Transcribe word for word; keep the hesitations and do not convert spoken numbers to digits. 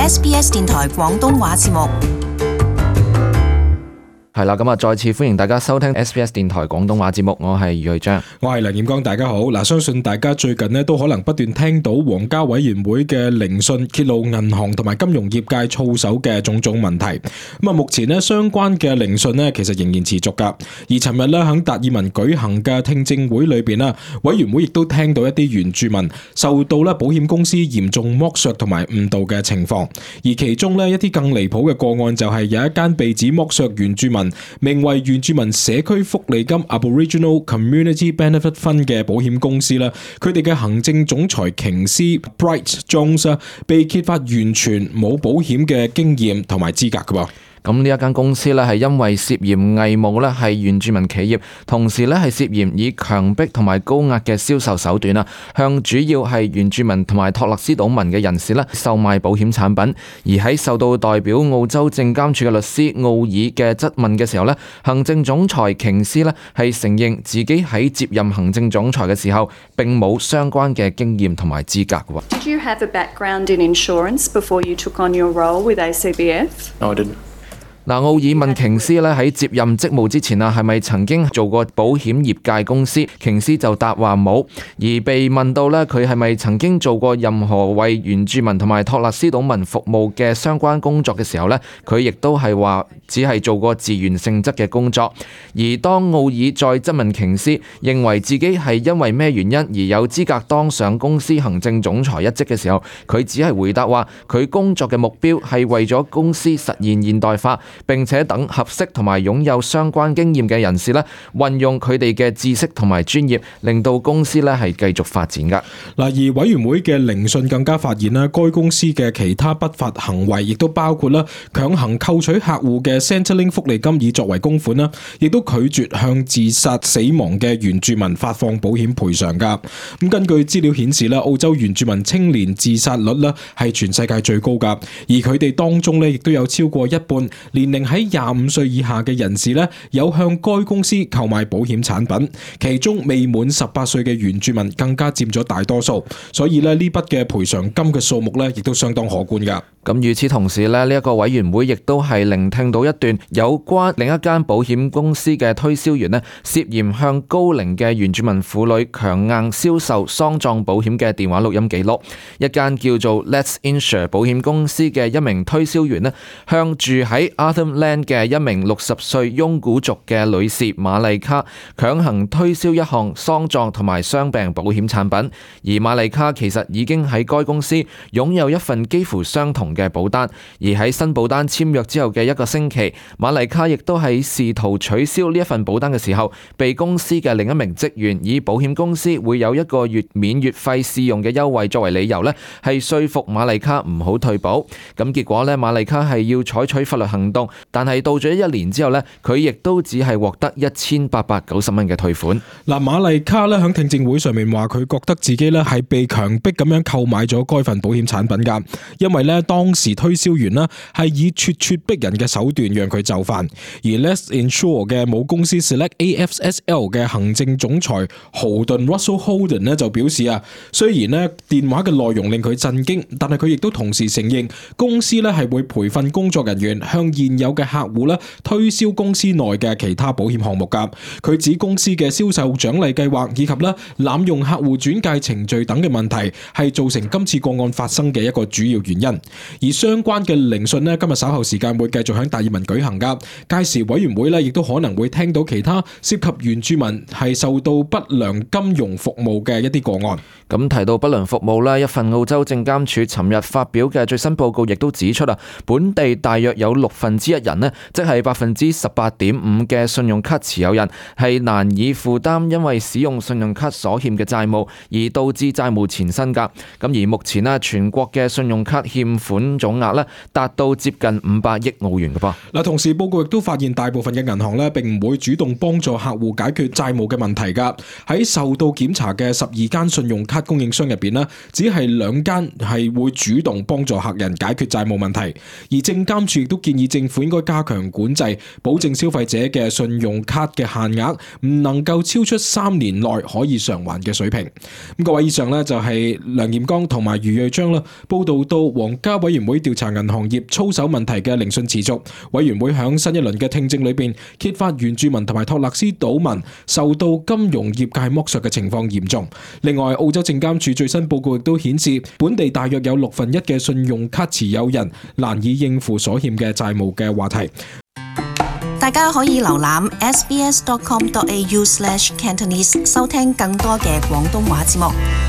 S B S 電台廣東話節目。係啦，咁啊，再次歡迎大家收聽 S B S 電台廣東話節目，我係余瑞章，我係梁彥光，大家好。嗱，相信大家最近咧都可能不斷聽到皇家委員會嘅聆訊揭露銀行同埋金融業界操守嘅種種問題。咁啊，目前咧相關嘅聆訊咧其實仍然持續噶。而尋日咧喺達爾文舉行嘅聽證會裏邊啦，委員會亦都聽到一啲原住民受到咧保險公司嚴重剝削同埋誤導嘅情況。而其中咧一啲更離譜嘅個案就係有一間被指剝削原住民，名為原住民社區福利金 Aboriginal Community Benefit Fund 嘅保險公司啦，佢哋嘅行政總裁瓊斯 Bright Jones 被揭發完全冇保險嘅經驗同埋資格㗎喎。咁呢一間公司咧係因為涉嫌偽冒咧係原住民企業，同時咧係涉嫌以強迫同埋高壓嘅銷售手段啊，向主要係原住民同埋托勒斯島民嘅人士咧售賣保險產品。而喺受到代表澳洲證監處嘅律師奧爾嘅質問嘅時候咧，行政總裁瓊斯咧係承認自己喺接任行政總裁嘅時候並冇相關嘅經驗同埋資格嘅。Did you have a background in insurance before you took on your role with A C B F? No, I didn't. 嗱，奧爾問瓊斯咧喺接任職務之前啊，係咪曾經做過保險業界公司？瓊斯就答話冇。而被問到咧佢係咪曾經做過任何為原住民同埋托勒斯島民服務嘅相關工作嘅時候咧，佢亦都係話只係做過自願性質嘅工作。而當奧爾再質問瓊斯認為自己係因為咩原因而有資格當上公司行政總裁一職嘅時候，佢只係回答話佢工作嘅目標係為咗公司實現現代化，並且等合適同埋擁有相關經驗嘅人士咧，運用佢哋嘅知識同埋專業，令到公司咧係繼續發展噶。嗱，而委員會嘅聆訊更加發現啦，該公司嘅其他不法行為亦都包括啦，強行扣取客戶嘅 Centrelink 福利金以作為供款啦，亦都拒絕向自殺死亡嘅原住民發放保險賠償噶。咁根據資料顯示啦，澳洲原住民青年自殺率咧係全世界最高噶，而佢哋當中咧亦都有超過一半年齡喺廿五歲以下嘅人士咧，有向該公司購買保險產品，其中未滿十八歲嘅原住民更加佔咗大多數，所以咧呢筆嘅賠償金嘅數目咧，亦都相當可觀噶。咁與此同時咧，呢一個委員會亦都係聆聽到一段有關另一間保險公司嘅推銷員咧，涉嫌向高齡嘅原住民婦女強硬銷售喪葬保險嘅電話錄音記錄。一間叫做 Let's Insure 保險公司嘅一名推銷員咧，向住喺 Arthur Land 嘅一名六十歲雍古族嘅女士瑪麗卡強行推銷一項喪葬同埋傷病保險產品，而瑪麗卡其實已經喺該公司擁有一份幾乎相同嘅保單，而喺新保單簽約之後嘅一個星期，瑪麗卡亦都喺試圖取消呢一份保單嘅時候，被公司嘅另一名職員以保險公司會有一個月免月費試用嘅優惠作為理由呢，係說服瑪麗卡唔好退保。咁結果呢，瑪麗卡係要採取法律行動，但係到咗一年之後呢，佢亦都只係獲得一千八百九十蚊嘅退款。嗱，瑪麗卡咧喺聽證會上面話，佢覺得自己咧係被強迫咁樣購買咗該份保險產品噶，因為咧當時推銷員咧係以咄咄逼人嘅手段讓佢就範。而 Let's Insure 嘅母公司 Select A F S L 嘅行政總裁豪頓 Russell Holden 咧就表示啊，雖然咧電話嘅內容令佢震驚，但係佢亦都同時承認公司咧係會培訓工作人員向現有嘅客戶咧推銷公司內嘅其他保險項目噶。佢指公司嘅銷售獎勵計劃以及咧濫用客戶轉介程序等嘅問題係造成今次個案發生嘅一個主要原因。而相關嘅聆訊咧，今日稍後時間會繼續喺達爾文舉行噶。屆時委員會咧亦都可能會聽到其他涉及原住民係受到不良金融服務嘅一啲個案。咁提到不良服務咧，一份澳洲證監處尋日發表嘅最新報告亦都指出啊，本地大約有六分之一人咧，即係百分之十八點五嘅信用卡持有人係難以負擔因為使用信用卡所欠嘅債務，而導致債務纏身噶。咁而目前咧，全國嘅信用卡欠款總額咧達到接近五百億澳元嘅噃。嗱，同時報告亦都發現大部分嘅銀行咧並唔會主動幫助客戶解決債務嘅問題噶。喺受到檢查嘅十二間信用卡供應商入邊咧，只係兩間係會主動幫助客人解決債務問題。而證監處亦都建議政政府應該加強管制，保證消費者嘅信用卡嘅限額唔能夠超出三年內可以償還嘅水平。咁各位，以上呢就係梁炎剛同埋余瑞章啦，報道到皇家委員會調查銀行業操守問題嘅聆訊持續，委員會響新一輪嘅聽證裏邊揭發原住民同埋托勒斯島民受到金融業界剝削嘅情況嚴重。另外，澳洲證監處最新報告亦都顯示，本地大約有六分一嘅信用卡持有人難以應付所欠嘅債務嘅話題。大家可以瀏覽 s b s dot com dot a u slash cantonese 收聽更多嘅廣東話節目。